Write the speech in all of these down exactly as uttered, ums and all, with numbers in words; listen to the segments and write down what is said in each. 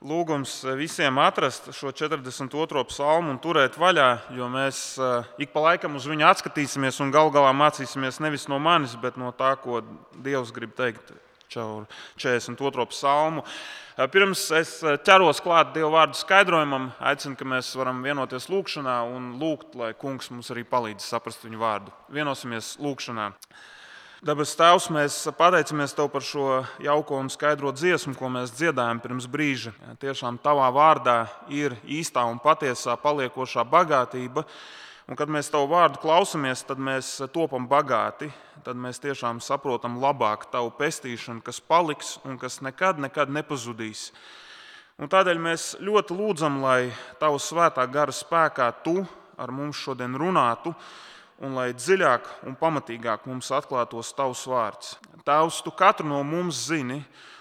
Lūgums visiem atrast šo četrdesmit otro psalmu un turēt vaļā, jo mēs ik pa laikam uz viņu atskatīsimies un galu galā mācīsimies nevis no manis, bet no tā, ko Dievs grib teikt caur četrdesmit otro psalmu. Pirms es ķeros klāt Dieva vārdu skaidrojumam, aicinu, ka mēs varam vienoties lūgšanā un lūgt, lai Kungs mums arī palīdz saprast viņu vārdu. Vienosimies lūgšanā. Debes Tēvs, mēs pateicamies Tev par šo jauko un skaidro dziesmu, ko mēs dziedājam pirms brīža. Tiešām Tavā vārdā ir īstā un patiesā paliekošā bagātība, un kad mēs Tavu vārdu klausamies, tad mēs topam bagāti, tad mēs tiešām saprotam labāk Tavu pestīšanu, kas paliks un kas nekad, nekad nepazudīs. Un tādēļ mēs ļoti lūdzam, lai Tava svētā gara spēkā Tu ar mums šodien runātu, un lai dziļāk un pamatīgāk mums atklātos Tavs vārds. Tēvs, Tu katru no mums zini,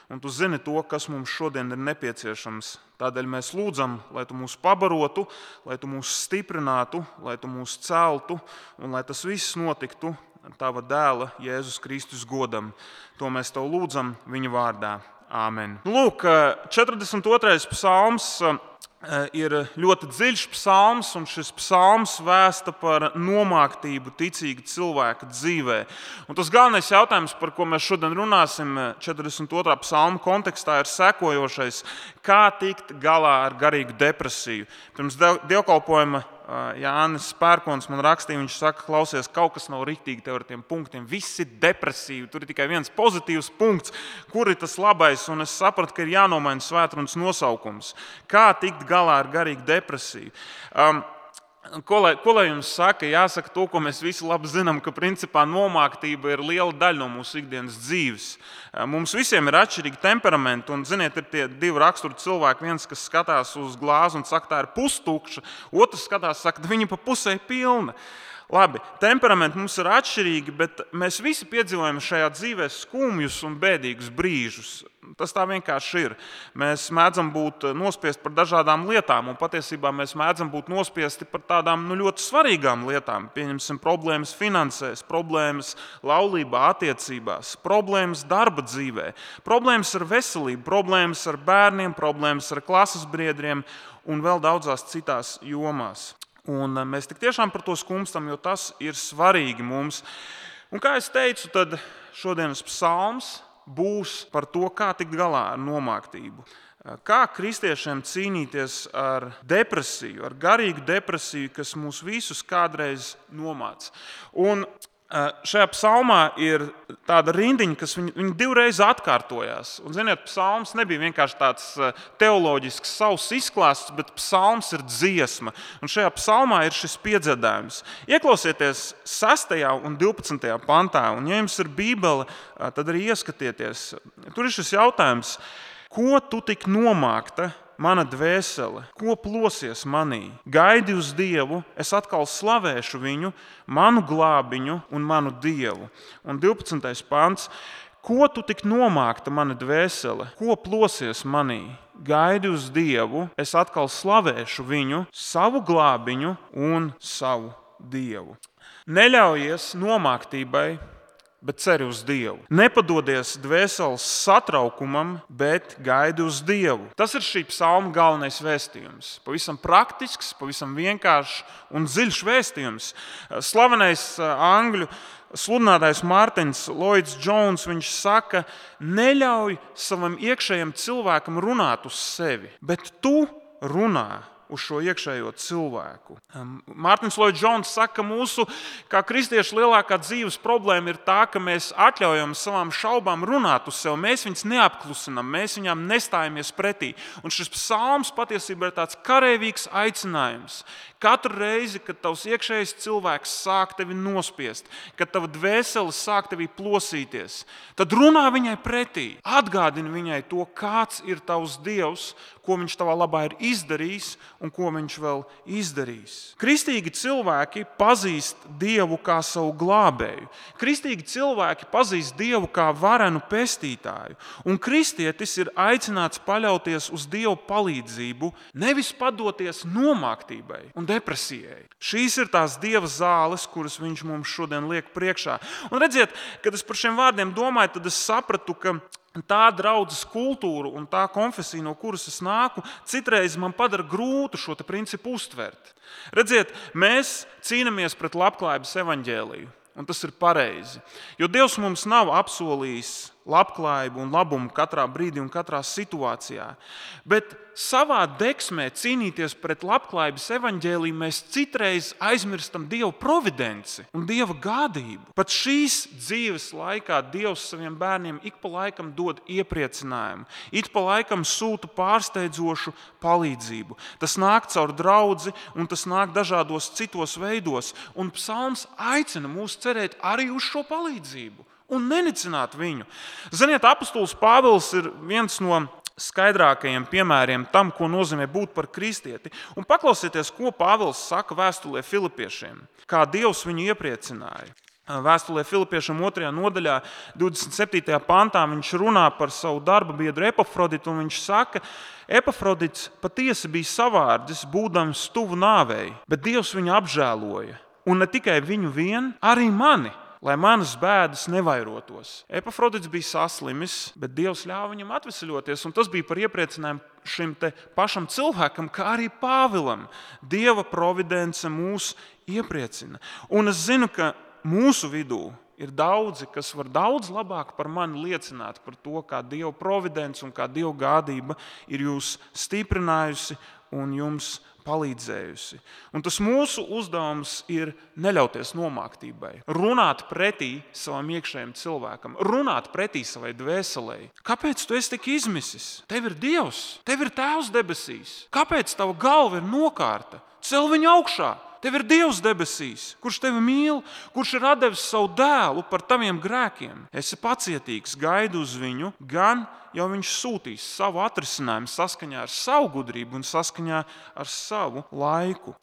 un Tu zini to, kas mums šodien ir nepieciešams. Tādēļ mēs lūdzam, lai Tu mūs pabarotu, lai Tu mūs stiprinātu, lai Tu mūs celtu, un lai tas viss notiktu Tava dēla Jēzus Kristus godam. To mēs Tev lūdzam viņa vārdā. Āmen. Lūk, četrdesmit otrais psalms ir ļoti dziļš psalms, un šis psalms vēsta par nomāktību ticīga cilvēka dzīvē. Un tas galvenais jautājums, par ko mēs šodien runāsim četrdesmit otrā psalma kontekstā, ir sekojošais: kā tikt galā ar garīgu depresiju? Pirms dievkalpojuma Jānis Pērkons man rakstīja, viņš saka, klausies, kaut kas nav riktīgi tev ar tiem punktiem, viss ir depresīvi, tur ir tikai viens pozitīvs punkts, kur ir tas labais, un es sapratu, ka ir jānomaina svētrunas nosaukums. Kā tikt galā ar garīgu depresiju? Um, Ko lai, ko lai jums saka? Jāsaka to, ko mēs visi labi zinām, ka principā nomāktība ir liela daļa no mūsu ikdienas dzīves. Mums visiem ir atšķirīgi temperamenti, un, ziniet, ir tie divi raksturi cilvēki. Viens, kas skatās uz glāzi un saka, tā ir pustukša, otrs skatās, saka, viņa pa pusē pilna. Labi, temperamenti mums ir atšķirīgi, bet mēs visi piedzīvojam šajā dzīvē skumjus un bēdīgus brīžus. Tas tā vienkārši ir. Mēs mēdzam būt nospiesti par dažādām lietām, un patiesībā mēs mēdzam būt nospiesti par tādām nu, ļoti svarīgām lietām. Pieņemsim problēmas finansēs, problēmas laulībā, attiecībās, problēmas darba dzīvē, problēmas ar veselību, problēmas ar bērniem, problēmas ar klases biedriem un vēl daudzās citās jomās. Un mēs tik tiešām par to skumstam, jo tas ir svarīgi mums. Un kā es teicu, tad šodienas psalms būs par to, kā tikt galā ar nomāktību. Kā kristiešiem cīnīties ar depresiju, ar garīgu depresiju, kas mūs visus kādreiz nomāc. Un šajā psalmā ir tāda rindiņa, kas viņu, viņu divreiz atkārtojās. Un, ziniet, psalms nebija vienkārši tāds teoloģisks savs izklāsts, bet psalms ir dziesma. Un šajā psalmā ir šis piedziedājums. Ieklausieties sestajā un divpadsmitajā pantā, un ja jums ir Bībele, tad arī ieskatieties. Tur ir šis jautājums: ko tu tik nomākta, mana dvēsele, ko plosies manī? Gaidi uz Dievu, es atkal slavēšu viņu, manu glābiņu un manu Dievu. Un divpadsmitais pants: ko tu tik nomākta, mana dvēsele, ko plosies manī? Gaidi uz Dievu, es atkal slavēšu viņu, savu glābiņu un savu Dievu. Neļaujies nomāktībai, bet ceri uz Dievu. Nepadodies dvēseles satraukumam, bet gaidi uz Dievu. Tas ir šī psalma galvenais vēstījums. Pavisam praktisks, pavisam vienkāršs un dziļš vēstījums. Slavenais angļu sludinātājs Mārtiņš Lloyds Jones, viņš saka, neļauj savam iekšējam cilvēkam runāt uz sevi, bet tu runā uz šo iekšējo cilvēku. Mārtiņš Lloyds Jones saka, ka mūsu, kā kristiešu, lielākā dzīves problēma ir tā, ka mēs atļaujam savām šaubām runāt uz sevi. Mēs viņus neapklusinām, mēs viņām nestājamies pretī. Un šis psalms patiesībā ir tāds kareivīgs aicinājums. Katru reizi, kad tavs iekšējais cilvēks sāk tevi nospiest, kad tava dvēsele sāk tevi plosīties, tad runā viņai pretī. Atgādini viņai to, kāds ir tavs Dievs, ko viņš tavā labā ir izdarījis un ko viņš vēl izdarīs. Kristīgi cilvēki pazīst Dievu kā savu glābēju. Kristīgi cilvēki pazīst Dievu kā varenu pestītāju. Un kristietis ir aicināts paļauties uz Dievu palīdzību, nevis padoties nomāktībai un depresijai. Šīs ir tās Dieva zāles, kuras viņš mums šodien liek priekšā. Un redziet, kad es par šiem vārdiem domāju, tad es sapratu, ka tā draudzes kultūra un tā konfesija, no kuras es nāku, citreiz man padara grūtu šo te principu uztvert. Redziet, mēs cīnāmies pret labklājības evaņģēliju, un tas ir pareizi. Jo Dievs mums nav apsolījis labklājību un labumu katrā brīdī un katrā situācijā. Bet savā deksmē cīnīties pret labklājības evaņģēliju mēs citreiz aizmirstam Dieva providenci un Dieva gādību. Pat šīs dzīves laikā Dievs saviem bērniem ik pa laikam dod iepriecinājumu, ik pa laikam sūta pārsteidzošu palīdzību. Tas nāk caur draudzi un tas nāk dažādos citos veidos. Un psalms aicina mūs cerēt arī uz šo palīdzību un nenicināt viņu. Ziniet, apostols Pāvils ir viens no skaidrākajiem piemēriem tam, ko nozīmē būt par kristieti. Un paklausieties, ko Pāvils saka vēstulē Filipiešiem, kā Dievs viņu iepriecināja. Vēstulē Filipiešiem otrajā nodaļā, divdesmit septītajā pantā, viņš runā par savu darba biedru Epafroditu, un viņš saka, Epafrodits patiesi bija savārdzis, būdams tuvu nāvei, bet Dievs viņu apžēloja. Un ne tikai viņu vien, arī mani, lai manas bēdas nevairotos. Epafrodits bija saslimis, bet Dievs ļāva viņam atveseļoties, un tas bija par iepriecinājumu šim te pašam cilvēkam, kā arī Pāvilam. Dieva providence mūs iepriecina. Un es zinu, ka mūsu vidū ir daudzi, kas var daudz labāk par mani liecināt par to, kā Dieva providence un kā Dieva gādība ir jūs stiprinājusi un jums palīdzējusi. Un tas mūsu uzdevums ir neļauties nomāktībai, runāt pretī savam iekšējam cilvēkam, runāt pretī savai dvēselei. Kāpēc tu esi tik izmisis? Tev ir Dievs, tev ir Tēvs debesīs. Kāpēc tava galva ir nokārta? Cel viņu augšā. Tev ir Dievs debesīs, kurš tevi mīl, kurš ir atdevis savu dēlu par taviem grēkiem. Esi pacietīgs, gaidi uz viņu, gan jau viņš sūtīs savu atrisinājumu saskaņā ar savu gudrību un saskaņā ar savu laiku.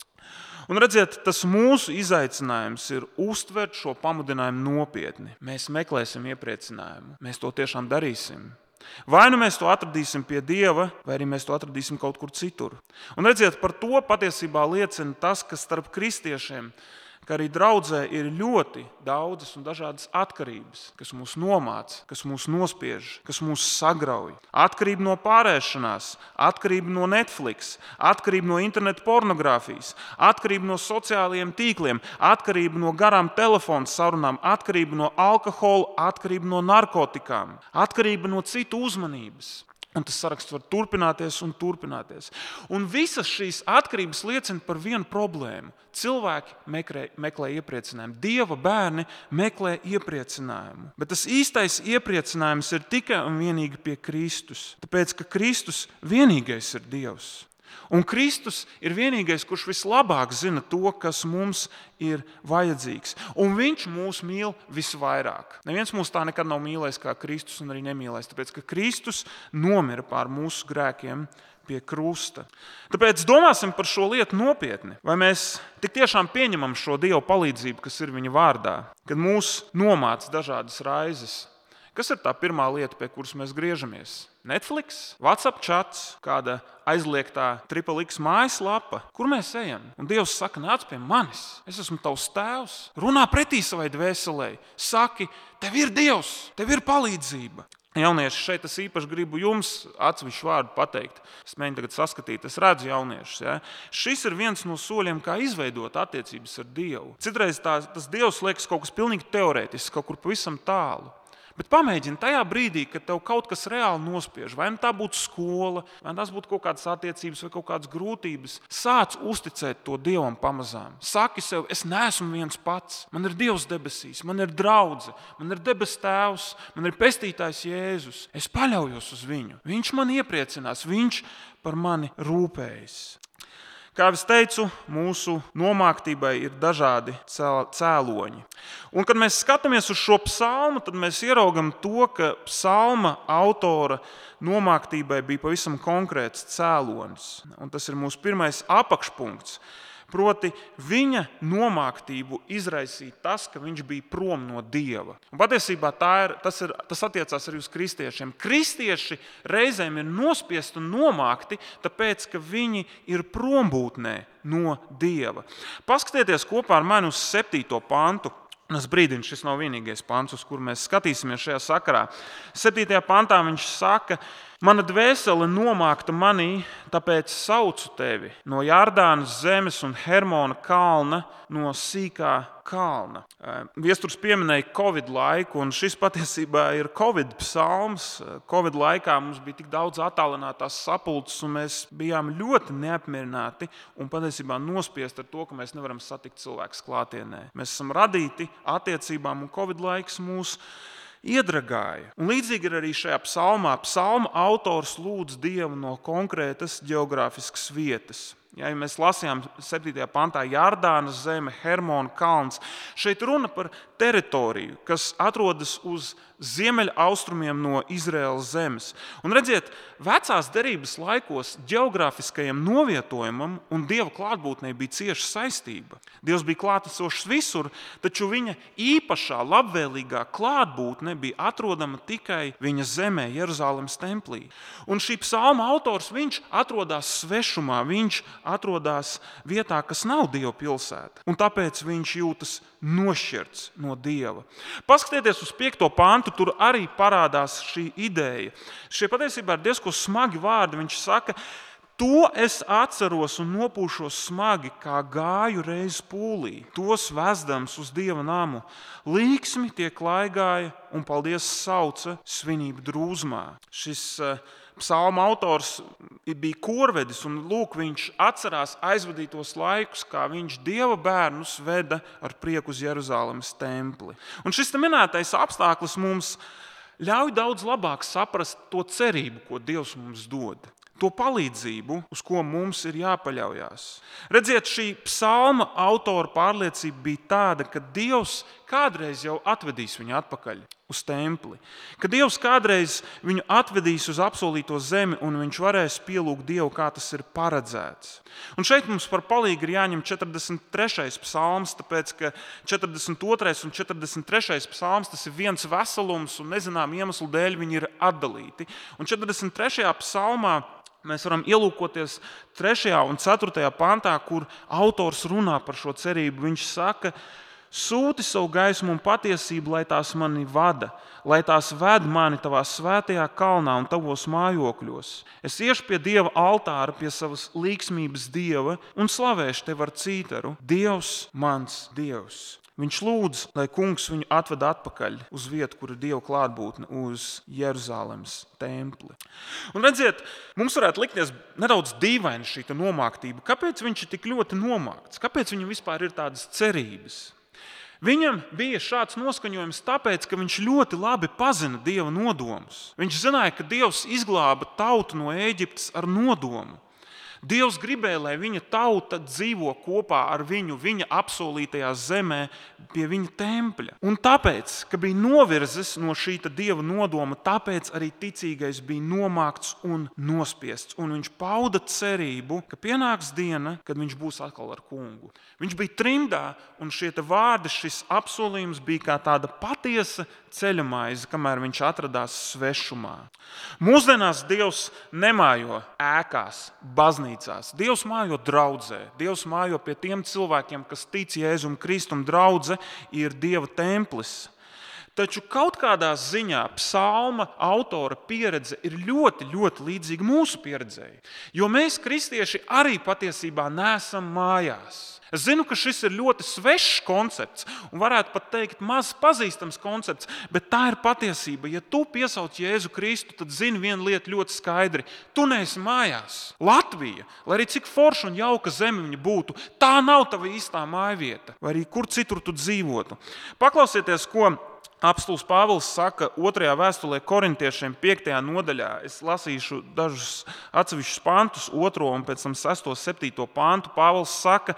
Un redziet, tas mūsu izaicinājums ir uztvert šo pamudinājumu nopietni. Mēs meklēsim iepriecinājumu, mēs to tiešām darīsim. Vai nu mēs to atradīsim pie Dieva, vai arī mēs to atradīsim kaut kur citur. Un redziet, par to patiesībā liecina tas, ka starp kristiešiem, ka arī draudzē ir ļoti daudzas un dažādas atkarības, kas mūs nomāca, kas mūs nospiež, kas mūs sagrauj. Atkarība no pārēšanās, atkarība no Netflix, atkarība no interneta pornogrāfijas, atkarība no sociālajiem tīkliem, atkarība no garām telefonu sarunām, atkarība no alkohola, atkarība no narkotikām, atkarība no citu uzmanības. Un tas saraksts var turpināties un turpināties. Un visas šīs atkarības liecina par vienu problēmu. Cilvēki meklē, meklē iepriecinājumu. Dieva bērni meklē iepriecinājumu. Bet tas īstais iepriecinājums ir tikai un vienīgi pie Kristus. Tāpēc, ka Kristus vienīgais ir Dievs. Un Kristus ir vienīgais, kurš vislabāk zina to, kas mums ir vajadzīgs. Un viņš mūs mīl visvairāk. Neviens mūs tā nekad nav mīlējis kā Kristus un arī nemīlēs, tāpēc, ka Kristus nomira pār mūsu grēkiem pie krusta. Tāpēc domāsim par šo lietu nopietni. Vai mēs tik tiešām pieņemam šo Dieva palīdzību, kas ir viņa vārdā, kad mūs nomāca dažādas raizes? Kas ir tā pirmā lieta, pie kuras mēs griežamies? Netflix, WhatsApp chats, kāda aizliegtā Triple X mājaslapa, kur mēs ejam. Un Dievs saka, nāc pie manis, es esmu tavs tēvs, runā pretī savai dvēselē, saki, tev ir Dievs, tev ir palīdzība. Jaunieši, šeit es īpaši gribu jums atsevišķu vārdu pateikt. Es mēģinu tagad saskatīt, es redzu jauniešus. Ja? Šis ir viens no soļiem, kā izveidot attiecības ar Dievu. Citreiz tā, tas Dievs liekas kaut kas pilnīgi teorētisks, kaut kur pavisam tālu. Bet pamēģini tajā brīdī, kad tev kaut kas reāli nospiež, vai tā būtu skola, vai tas būtu kaut kādas attiecības vai kaut kādas grūtības, sāc uzticēt to Dievam pamazām. Saki sev, es neesmu viens pats, man ir Dievs debesīs, man ir draudze, man ir debes tēvs, man ir pestītājs Jēzus. Es paļaujos uz viņu, viņš man iepriecinās, viņš par mani rūpējas. Kā es teicu, mūsu nomāktībai ir dažādi cēloņi. Un, kad mēs skatāmies uz šo psalmu, tad mēs ieraugam to, ka psalma autora nomāktībai bija pavisam konkrēts cēlonis. Un tas ir mūsu pirmais apakšpunkts. Proti, viņa nomāktību izraisīja tas, ka viņš bija prom no Dieva. Un patiesībā tā ir, tas, ir, tas attiecās arī uz kristiešiem. Kristieši reizēm ir nospiesti un nomākti, tāpēc, ka viņi ir prombūtnē no Dieva. Paskatieties kopā ar mani uz septīto pantu. Un es brīdinu, šis nav vienīgais pants, uz kuru mēs skatīsimies šajā sakarā. septītajā pantā viņš saka, mana dvēsele nomākta manī, tāpēc saucu tevi no Jordānas zemes un Hermona kalna, no sīkā kalna. Viesturs pieminēja Covid laiku, un šis patiesībā ir Covid psalms. Covid laikā mums bija tik daudz attālinātās sapulces, un mēs bijām ļoti neapmierināti un patiesībā nospiesti ar to, ka mēs nevaram satikt cilvēkus klātienē. Mēs esam radīti attiecībām, un Covid laiks mūs iedragāja. Un līdzīgi ir arī šajā psalmā. Psalma autors lūdz Dievu no konkrētas geogrāfiskas vietas. Ja mēs lasījām septītajā pantā Jordānas zeme, Hermona kalns, šeit runa par teritoriju, kas atrodas uz ziemeļaustrumiem no Izraēlas zemes. Un redziet, vecās derības laikos geogrāfiskajam novietojumam un Dieva klātbūtnei bija cieša saistība. Dievs bija klātesošs visur, taču viņa īpašā, labvēlīgā klātbūtne bija atrodama tikai viņa zemē, Jeruzalemes templī. Un šī psalma autors, viņš atrodas svešumā, viņš atrodas vietā, kas nav Dieva pilsēta. Un tāpēc viņš jūtas nošķirts no Dieva. Paskatieties uz piekto pantu, tur arī parādās šī ideja. Šie patiesībā ir diezko smagi vārdi. Viņš saka, to es atceros un nopūšos smagi, kā gāju reiz pūlī, tos vezdams uz Dieva namu. Līksmi tie klaigāja un paldies sauca svinību drūzmā. Šis uh, psalma autors bija korvedis, un lūk, viņš atcerās aizvadītos laikus, kā viņš Dieva bērnus veda ar prieku uz Jeruzalemes templi. Un šis minētais apstākļus mums ļauj daudz labāk saprast to cerību, ko Dievs mums dod. To palīdzību, uz ko mums ir jāpaļaujās. Redziet, šī psalma autora pārliecība bija tāda, ka Dievs kādreiz jau atvedīs viņu atpakaļ uz templi. Ka Dievs kādreiz viņu atvedīs uz apsolīto zemi, un viņš varēs pielūgt Dievu, kā tas ir paredzēts. Un šeit mums par palīgu ir jāņem četrdesmit trešais psalms, tāpēc, ka četrdesmit otrais un četrdesmit trešais psalms tas ir viens veselums, un nezinām iemeslu dēļ viņi ir atdalīti. Un četrdesmit trešajā psalmā mēs varam ielūkoties trešajā un ceturtajā pantā, kur autors runā par šo cerību. Viņš saka, sūti savu gaismu un patiesību, lai tās mani vada, lai tās ved mani tavā svētajā kalnā un tavos mājokļos. Es iešu pie Dieva altāra, pie savas līksmības Dieva un slavēšu tevi ar cītaru. Dievs, mans Dievs. Viņš lūdz, lai kungs viņu atved atpakaļ uz vietu, kur ir Dieva klātbūtne, uz Jeruzalemes templi. Un redziet, mums varētu likties nedaudz dīvaini šī nomāktība. Kāpēc viņš ir tik ļoti nomākts? Kāpēc viņam vispār ir tādas cerības? Viņam bija šāds noskaņojums tāpēc, ka viņš ļoti labi pazina Dieva nodomus. Viņš zināja, ka Dievs izglāba tautu no Ēģiptes ar nodomu. Dievs gribēja, lai viņa tauta dzīvo kopā ar viņu, viņa apsolītajā zemē pie viņa tempļa. Un tāpēc, ka bija novirzes no šī Dieva nodoma, tāpēc arī ticīgais bija nomākts un nospiests. Un viņš pauda cerību, ka pienāks diena, kad viņš būs atkal ar kungu. Viņš bija trimdā, un šie vārdi, šis apsolījums bija kā tāda patiesa ceļamaize, kamēr viņš atradās svešumā. Mūsdienās Dievs nemājo ēkās, baznīcās. Dievs mājo draudzē. Dievs mājo pie tiem cilvēkiem, kas tic Jēzum Kristum. Draudze ir Dieva templis. Taču kaut kādā ziņā psalma autora pieredze ir ļoti, ļoti līdzīga mūsu pieredzei. Jo mēs, kristieši, arī patiesībā neesam mājās. Es zinu, ka šis ir ļoti svešs koncepts un varētu pat teikt maz pazīstams koncepts, bet tā ir patiesība. Ja tu piesauc Jēzu Kristu, tad zini vienu lietu ļoti skaidri. Tu neesi mājās. Latvija, lai arī cik forša un jauka zeme viņa būtu, tā nav tava īstā mājvieta, vai arī kur citur tu dzīvotu. Paklausieties, ko apostols Pāvils saka otrajā vēstulē korintiešiem piektajā nodaļā. Es lasīšu dažus atsevišķus pantus, otro un pēc tam sesto, septīto pantu. Pāvils saka,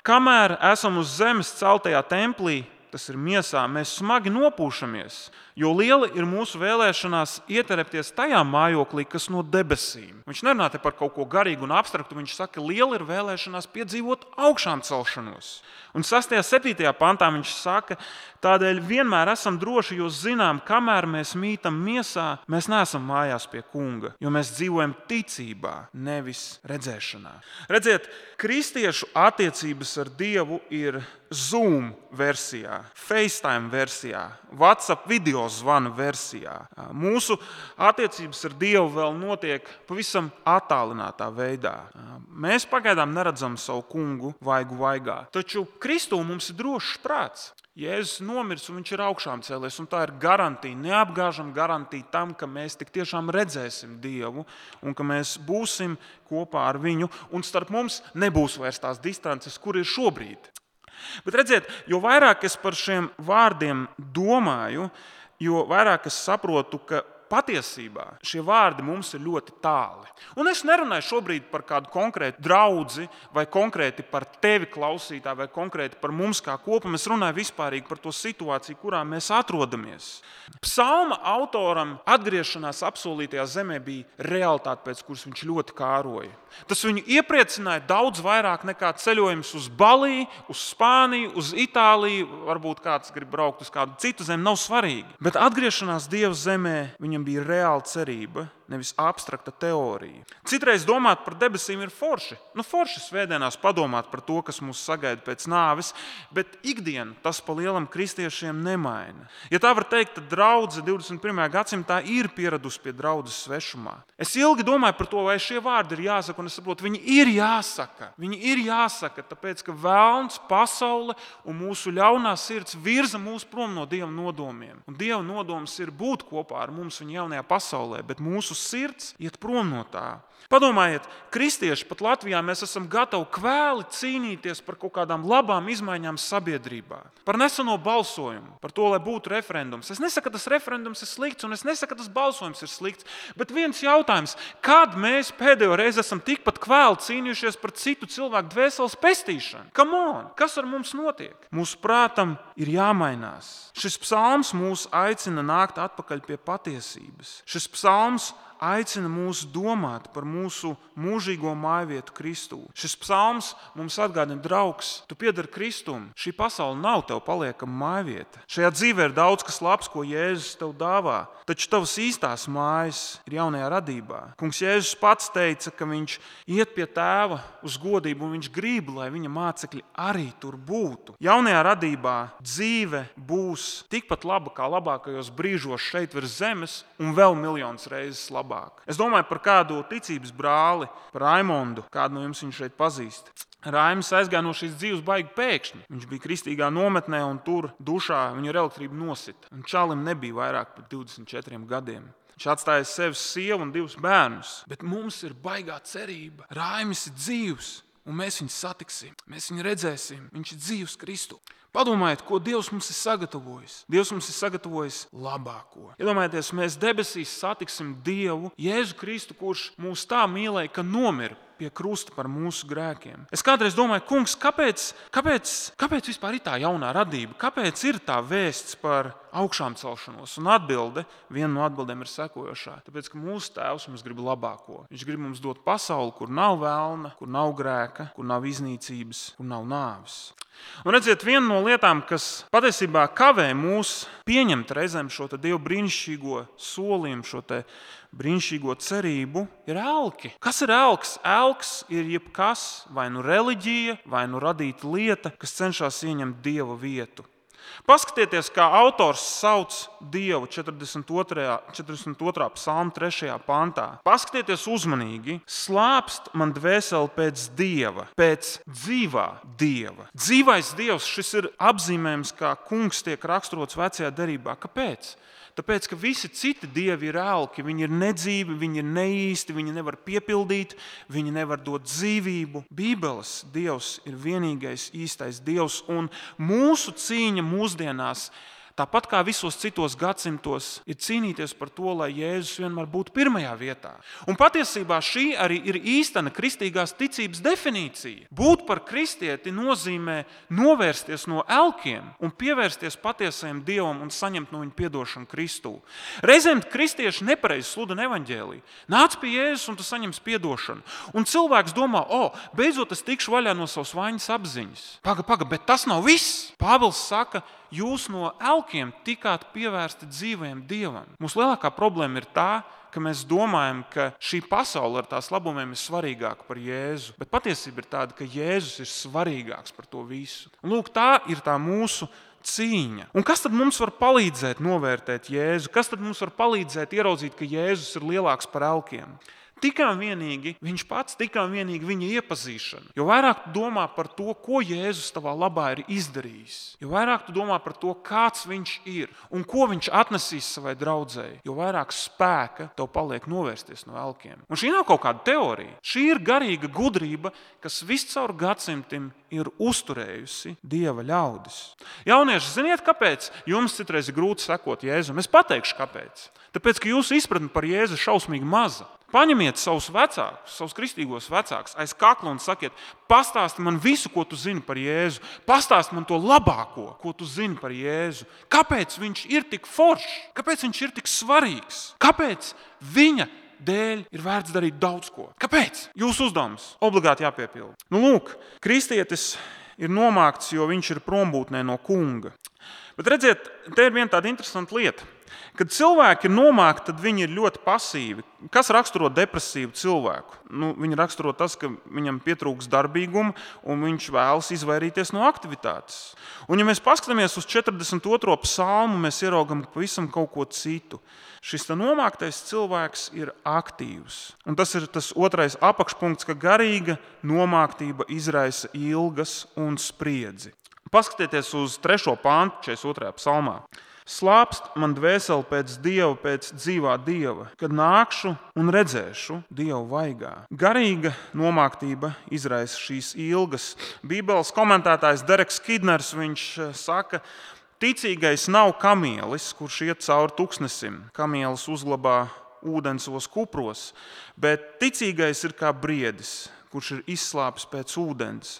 kamēr esam uz zemes celtajā templī, tas ir miesā, mēs smagi nopūšamies, Jo liela ir mūsu vēlēšanās ieterpties tajā mājoklī, kas no debesīm. Viņš nerunā te par kaut ko garīgu un abstraktu, viņš saka, liela ir vēlēšanās piedzīvot augšām celšanos. Un sastajā, septītajā pantā viņš saka, tādēļ vienmēr esam droši, jo zinām, kamēr mēs mītam miesā, mēs neesam mājās pie kunga, jo mēs dzīvojam ticībā, nevis redzēšanā. Redziet, kristiešu attiecības ar Dievu ir Zoom versijā, FaceTime versijā, WhatsApp video zvanu versijā. Mūsu attiecības ar Dievu vēl notiek pavisam attālinātā veidā. Mēs pagaidām neredzam savu kungu vaigu vaigā, taču Kristū mums ir drošs prāts. Jēzus nomirs un viņš ir augšām cēlies, un tā ir garantija, neapgāžama garantija tam, ka mēs tik tiešām redzēsim Dievu un ka mēs būsim kopā ar viņu, un starp mums nebūs vairs tās distances, kur ir šobrīd. Bet redziet, jo vairāk es par šiem vārdiem domāju, jo vairāk es saprotu, ka patiesībā šie vārdi mums ir ļoti tāli. Un es nerunāju šobrīd par kādu konkrētu draudzi, vai konkrēti par tevi klausītā, vai konkrēti par mums kā kopumu. Es runāju vispārīgi par to situāciju, kurā mēs atrodamies. Psalma autoram atgriešanās apsolītajā zemē bija realitāte, pēc kuras viņš ļoti kāroja. Tas viņu iepriecināja daudz vairāk nekā ceļojums uz Baliju, uz Spāniju, uz Itāliju. Varbūt kāds grib braukt uz kādu citu zemi, nav svarīgi. Bet atgriešanās Dieva zemē viņam bija reāla cerība, nevis abstrakta teorija. Citreiz domāt par debesīm ir forši. Nu, forši svētdienās padomāt par to, kas mūs sagaida pēc nāves, bet ikdienu tas pa lielam kristiešiem nemaina. Ja tā var teikt, tad draudze divdesmit pirmajā gadsimtā ir pieradusi pie draudzes svešumā. Es ilgi domāju par to, vai šie vārdi ir jāsaka, un es saprotu, viņi ir jāsaka. Viņi ir jāsaka, tāpēc, ka velns, pasaule un mūsu ļaunā sirds virza mūs prom no Dieva nodomiem. Un Dieva nodoms ir būt kopā ar mums viņa jaunajā pasaulē, bet mūsu sirds iet prom no tā. Padomājiet, kristieši pat Latvijā mēs esam gatavi kvēli cīnīties par kaut kādām labām izmaiņām sabiedrībā. Par neseno balsojumu, par to, lai būtu referendums. Es nesaku, ka tas referendums ir slikts, un es nesaku, ka tas balsojums ir slikts, bet viens jautājums, kad mēs pēdējo reizi esam tikpat kvēli cīnījušies par citu cilvēku dvēseles pestīšanu? Come on! Kas ar mums notiek? Mūsu prātam ir jāmainās. Šis psalms mūs aicina nākt atpakaļ pie patiesības. Šis psalms aicina mūs domāt par mūsu mūžīgo mājvietu Kristū. Šis psalms mums atgādina, draugs, tu piedari Kristum. Šī pasaule nav tev paliekama mājvieta. Šajā dzīvē ir daudz kas labs, ko Jēzus tev dāvā, taču tavas īstās mājas ir jaunajā radībā. Kungs Jēzus pats teica, ka viņš iet pie tēva uz godību un viņš grib, lai viņa mācekļi arī tur būtu. Jaunajā radībā dzīve būs tikpat laba kā labākajos brīžos šeit virs zemes un vēl miljonus reizes labāk. Es domāju par kādu ticības brāli, par Raimondu, kādu no jums viņš šeit pazīst. Raims aizgāja no šīs dzīves baigi pēkšņi. Viņš bija kristīgā nometnē un tur dušā viņu ar elektrību nosita. Un čalim nebija vairāk par divdesmit četriem gadiem. Viņš atstāja sevi sievu un divus bērnus. Bet mums ir baigā cerība. Raimis ir dzīvs un mēs viņu satiksim. Mēs viņu redzēsim. Viņš ir dzīvs Kristu. Padomājiet, ko Dievs mums ir sagatavojis. Dievs mums ir sagatavojis labāko. Iedomājieties, mēs debesīs satiksim Dievu, Jēzu Kristu, kurš mūs tā mīlēja, ka nomira pie krusta par mūsu grēkiem. Es kādreiz domāju, kungs, kāpēc, kāpēc, kāpēc vispār ir tā jaunā radība? Kāpēc ir tā vēsts par augšām celšanos? Un atbilde, viena no atbildēm ir sekojošā. Tāpēc, ka mūsu tēvs mums grib labāko. Viņš grib mums dot pasauli, kur nav velna, kur nav grēka, kur nav iznīcības, kur nav nāves. Un redziet, viena no lietām, kas patiesībā kavē mūs pieņemt reizēm šo te Dievu brīnišķīgo solījumu, šo te brīnišķīgo cerību, ir elki. Kas ir elks? Elks ir jebkas, vai nu reliģija, vai nu radīta lieta, kas cenšas ieņemt Dieva vietu. Paskatieties, kā autors sauc Dievu četrdesmit otrā psalma trešajā pantā. Paskatieties uzmanīgi. Slāpst man dvēseli pēc Dieva, pēc dzīvā Dieva. Dzīvais Dievs, šis ir apzīmējums, kā kungs tiek raksturots vecajā derībā. Kāpēc? Tāpēc, ka visi citi dievi ir elki, viņi ir nedzīvi, viņi ir neīsti, viņi nevar piepildīt, viņi nevar dot dzīvību. Bībeles Dievs ir vienīgais īstais Dievs, un mūsu cīņa mūsdienās tāpat kā visos citos gadsimtos, ir cīnīties par to, lai Jēzus vienmēr būtu pirmajā vietā. Un patiesībā šī arī ir īstena kristīgās ticības definīcija. Būt par kristieti nozīmē novērsties no elkiem un pievērsties patiesajam Dievam un saņemt no viņa piedošanu Kristū. Reizēm kristieši nepareizi sludina evaņģēliju. Nāc pie Jēzus un tu saņemsi piedošanu. Un cilvēks domā, o, beidzot es tikšu vaļā no savas vainas apziņas. Paga, paga, bet tas nav viss. Pāvils saka, jūs no elkiem tikāt pievērsti dzīvajam Dievam. Mūsu lielākā problēma ir tā, ka mēs domājam, ka šī pasaule ar tās labumiem ir svarīgāka par Jēzu. Bet patiesība ir tāda, ka Jēzus ir svarīgāks par to visu. Un lūk, tā ir tā mūsu cīņa. Un kas tad mums var palīdzēt novērtēt Jēzu? Kas tad mums var palīdzēt ieraudzīt, ka Jēzus ir lielāks par elkiem? Tikai un vienīgi viņš pats, tikai un vienīgi viņa iepazīšana. Jo vairāk tu domā par to, ko Jēzus tavā labā ir izdarījis, jo vairāk tu domā par to, kāds viņš ir un ko viņš atnesīs savai draudzēji, jo vairāk spēka tev paliek novērsties no elkiem. Un šī nav kaut kāda teorija. Šī ir garīga gudrība, kas viscaur gadsimtiem ir uzturējusi Dieva ļaudis. Jaunieši, ziniet, kāpēc jums citreiz ir grūti sekot Jēzum? Es pateikšu, kāpēc. Tāpēc, ka jūsu izpratne par Jēzu šausmīgi maza. Paņemiet savus vecākus, savus kristīgos vecākus aiz kakla un sakiet, pastāsti man visu, ko tu zini par Jēzu. Pastāsti man to labāko, ko tu zini par Jēzu. Kāpēc viņš ir tik foršs? Kāpēc viņš ir tik svarīgs? Kāpēc viņa dēļ ir vērts darīt daudz ko? Kāpēc? Jūsu uzdevums obligāti jāpiepilda. Nu, lūk, kristietis ir nomākts, jo viņš ir prombūtnē no kunga. Bet redziet, te ir viena tāda interesanta lieta. Kad cilvēki ir nomākti, tad viņi ir ļoti pasīvi. Kas raksturo depresīvu cilvēku? Nu, viņi raksturo tas, ka viņam pietrūks darbīguma un viņš vēlas izvairīties no aktivitātes. Un ja mēs paskatāmies uz četrdesmit otro psalmu, mēs ieraugam pavisam kaut ko citu. Šis nomāktais cilvēks ir aktīvs. Un tas ir tas otrais apakšpunkts, ka garīga nomāktība izraisa ilgas un spriedzi. Paskatieties uz trešo pāntu četrdesmit otrajā psalmā. Slāpst man dvēseli pēc Dieva, pēc dzīvā Dieva, kad nākšu un redzēšu Dievu vaigā. Garīga nomāktība izraisa šīs ilgas. Bībeles komentētājs Dereks Kidners, viņš saka, ticīgais nav kamielis, kurš iet cauri tuksnesim. Kamielis uzglabā ūdens savos kupros, bet ticīgais ir kā briedis, kurš ir izslāpis pēc ūdens.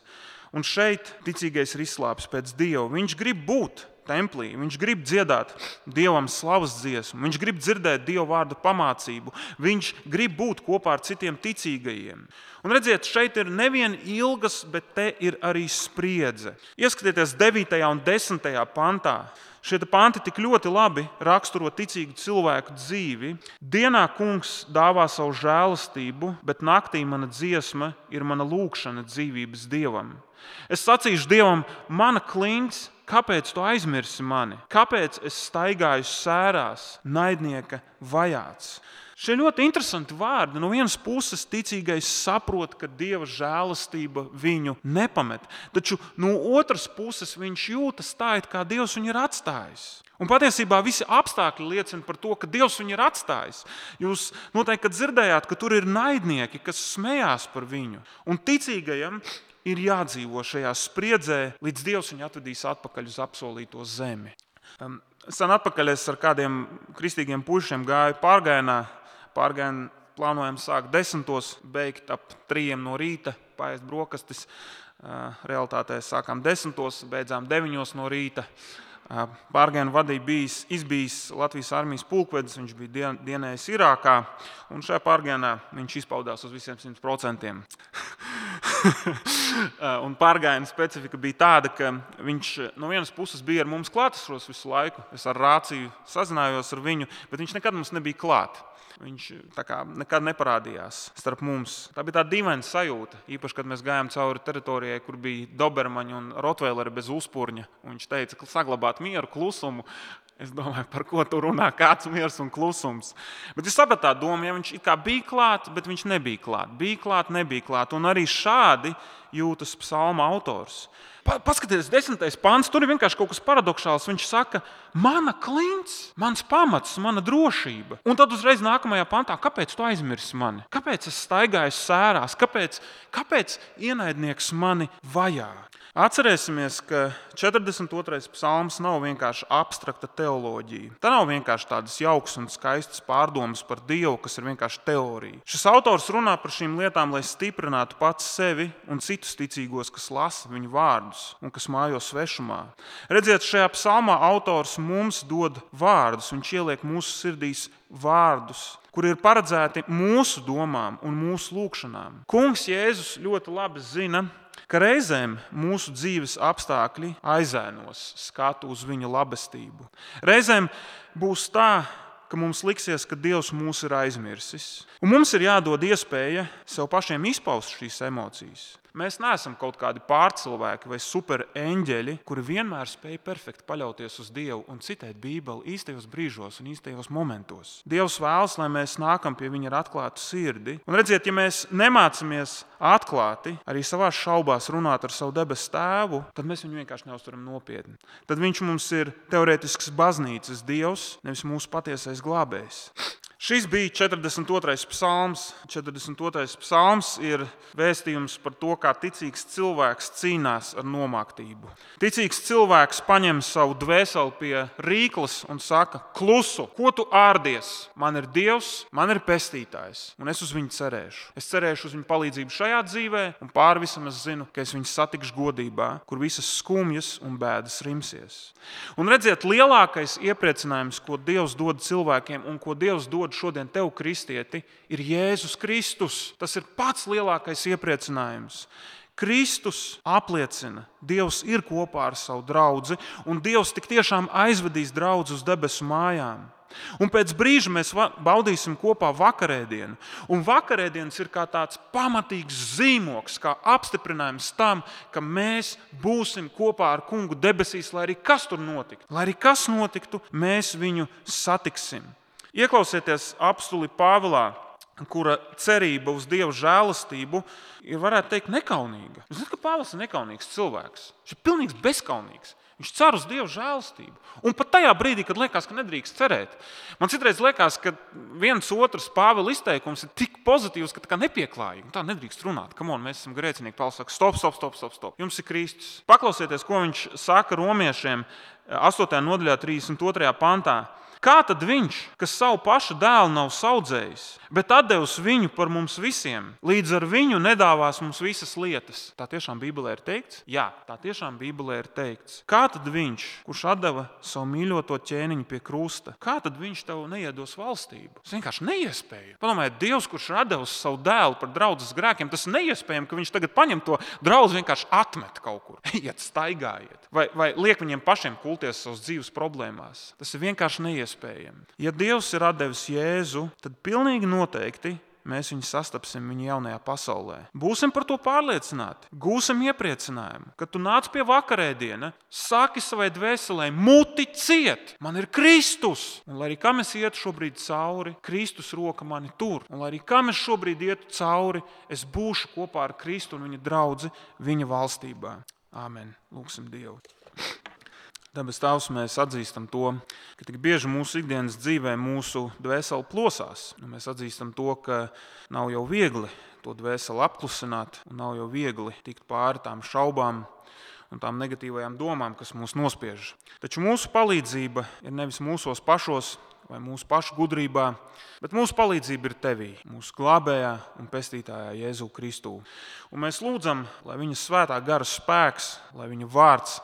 Un šeit ticīgais ir izslāpis pēc Dieva. Viņš grib būt templī, viņš grib dziedāt Dievam slavas dziesmu, viņš grib dzirdēt Dieva vārda pamācību, viņš grib būt kopā ar citiem ticīgajiem. Un redziet, šeit ir nevien ilgas, bet te ir arī spriedze. Ieskatieties devītajā un desmitajā pantā. Šie panti tik ļoti labi raksturo ticīgu cilvēku dzīvi. Dienā kungs dāvā savu žēlastību, bet naktī mana dziesma ir mana lūkšana dzīvības Dievam. Es sacīšu Dievam, mana klints, kāpēc tu aizmirsi mani? Kāpēc es staigāju sērās, naidnieka vajāts? Šie ļoti interesanti vārdi. No vienas puses ticīgais saprot, ka Dieva žēlastība viņu nepamet. Taču no otras puses viņš jūtas tā, it kā Dievs viņu ir atstājis. Un patiesībā visi apstākļi liecina par to, ka Dievs viņu ir atstājis. Jūs noteikti dzirdējāt, ka tur ir naidnieki, kas smējās par viņu. Un ticīgajam ir jādzīvo šajā spriedzē, līdz Dievs viņu atvedīs atpakaļ uz apsolīto zemi. Sen atpakaļ es ar kādiem kristīgiem puišiem gāju pārgājienā. Pārgājienu plānojam sākt desmitos, beigt ap trījiem no rīta, paēst brokastis. Realitātē sākām desmitos, beidzām deviņos no rīta. Pārgājienu vadīja bijis, izbijis Latvijas armijas pulkvedis, viņš bija dien, dienējis Irākā, un šajā pārgājienā viņš izpaudās uz visiem simt procentiem. Un pārgājiena specifika bija tāda, ka viņš no vienas puses bija ar mums klātesošs visu laiku. Es ar rāciju sazinājos ar viņu, bet viņš nekad mums nebija klāt. Viņš tā kā nekad neparādījās starp mums. Tā bija tāda dīvaina sajūta, īpaši, kad mēs gājām cauri teritorijai, kur bija dobermaņi un rotveileri bez uzpurņa. Un viņš teica, ka saglabāt mieru, klusumu. Es domāju, par ko tu runā, kāds miers un klusums. Bet es sapratu tā domu, ja viņš it kā bija klāt, bet viņš nebija klāt. Bija klāt, nebija klāt. Un arī šādi jūtas psalma autors. Paskaties, desmitais pants, tur ir vienkārši kaut kas paradoxāls. Viņš saka, mana klints, mans pamats, mana drošība. Un tad uzreiz nākamajā pantā, kāpēc tu aizmirsi mani? Kāpēc es staigāju sērās? Kāpēc, kāpēc ienaidnieks mani vajā? Atcerēsimies, ka četrdesmit otrais psalms nav vienkārši abstrakta teoloģija. Tā nav vienkārši tādas jaukas un skaistas pārdomas par Dievu, kas ir vienkārši teorija. Šis autors runā par šīm lietām, lai stiprinātu pats sevi un citus ticīgos, kas lasa viņu vārdus un kas mājo svešumā. Redziet, šajā psalmā autors mums dod vārdus, viņš ieliek mūsu sirdīs vārdus, kuri ir paredzēti mūsu domām un mūsu lūkšanām. Kungs Jēzus ļoti labi zina, ka reizēm mūsu dzīves apstākļi aizēnos skatu uz viņa labestību. Reizēm būs tā, ka mums liksies, ka Dievs mūs ir aizmirsis. Un mums ir jādod iespēja sev pašiem izpaust šīs emocijas. Mēs neesam kaut kādi pārcilvēki vai supereņģeļi, kuri vienmēr spēj perfekti paļauties uz Dievu un citēt Bībeli īstajos brīžos un īstajos momentos. Dievs vēlas, lai mēs nākam pie viņa ar atklātu sirdi. Un redziet, ja mēs nemācamies atklāti arī savās šaubās runāt ar savu debesu tēvu, tad mēs viņu vienkārši neuztveram nopietni. Tad viņš mums ir teorētisks baznīcas Dievs, nevis mūsu patiesais glābējs. Šis bija četrdesmit otrais psalms. četrdesmit otrais psalms ir vēstījums par to, kā ticīgs cilvēks cīnās ar nomāktību. Ticīgs cilvēks paņem savu dvēseli pie rīkles un saka, klusu, ko tu ārdies? Man ir Dievs, man ir pestītājs, un es uz viņu cerēšu. Es cerēšu uz viņu palīdzību šajā dzīvē, un pār visam es zinu, ka es viņu satikšu godībā, kur visas skumjas un bēdas rimsies. Un redziet, lielākais iepriecinājums, ko Dievs dod cilvēkiem un ko Dievs dod šodien tev, kristieti, ir Jēzus Kristus. Tas ir pats lielākais iepriecinājums. Kristus apliecina, Dievs ir kopā ar savu draudzi, un Dievs tik tiešām aizvedīs draudzi uz debesu mājām. Un pēc brīža mēs baudīsim kopā vakarēdienu. Un vakarēdienas ir kā tāds pamatīgs zīmoks, kā apstiprinājums tam, ka mēs būsim kopā ar kungu debesīs, lai arī kas tur notiktu. Lai arī kas notiktu, mēs viņu satiksim. Ieklausieties apstuli Pāvilā, kura cerība uz Dieva žēlastību ir, varētu teikt, nekaunīga. Jūs zināt, ka Pāvils ir nekaunīgs cilvēks. Viņš ir pilnīgs bezkaunīgs. Viņš cer uz Dieva žēlastību. Un pat tajā brīdī, kad liekas, ka nedrīkst cerēt. Man citreiz liekas, ka viens otrs Pāvila izteikums ir tik pozitīvs, ka tā kā nepieklājīgi. Tā nedrīkst runāt. Come on, mēs esam grēcinieki. Pāvils saka, stop, stop, stop, stop, stop. Jums ir Kristus. Paklausieties, ko viņš saka romiešiem astotajā nodaļā trīsdesmit otrajā pantā. Kā tad viņš, kas savu pašu dēlu nav saudzējis, bet atdevis viņu par mums visiem, līdz ar viņu nedāvās mums visas lietas? Tā tiešām Bībelē ir teikts? Jā, tā tiešām Bībelē ir teikts. Kā tad viņš, kurš atdeva savu mīļoto ķēniņu pie krusta, kā tad viņš tev neiedos valstību? Tas vienkārši neiespējami. Padomājiet, Dievs, kurš ir atdevis savu dēlu par draudzes grēkiem, tas neiespējami, ka viņš tagad paņem to draudzi vienkārši atmet kaut kur. Ejiet, staigājiet. Vai, vai liek viņiem pašiem kulties savas dzīves problēmās. Tas ir vienkārši neiespējami. Ja Dievs ir atdevis Jēzu, tad pilnīgi noteikti mēs viņu sastapsim viņa jaunajā pasaulē. Būsim par to pārliecināti, gūsim iepriecinājumu, kad tu nāc pie vakarēdiena, saki savai dvēselē, muti ciet, man ir Kristus. Un lai arī kam es ietu šobrīd cauri, Kristus roka mani tur. Un lai arī kam es šobrīd ietu cauri, es būšu kopā ar Kristu un viņa draudzi viņa valstībā. Āmen. Lūksim Dievu. Debes Tēvs, mēs atzīstam to, ka tik bieži mūsu ikdienas dzīvē mūsu dvēseli plosās. Mēs atzīstam to, ka nav jau viegli to dvēseli apklusināt un nav jau viegli tikt pāri tām šaubām un tām negatīvajām domām, kas mūs nospiež. Taču mūsu palīdzība ir nevis mūsos pašos vai mūsu pašu gudrībā, bet mūsu palīdzība ir Tevī, mūsu glābējā un pestītājā Jēzu Kristū. Un mēs lūdzam, lai viņa svētā gara spēks, lai viņa vārds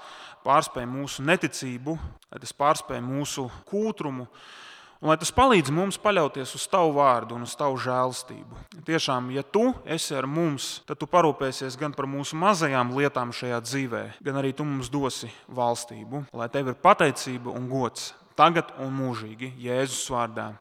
pārspēj mūsu neticību, lai tas pārspēj mūsu kūtrumu, un lai tas palīdz mums paļauties uz Tavu vārdu un uz Tavu žēlastību. Tiešām, ja Tu esi ar mums, tad Tu parūpēsies gan par mūsu mazajām lietām šajā dzīvē, gan arī Tu mums dosi valstību, lai Tev ir pateicība un gods tagad un mūžīgi Jēzus vārdā.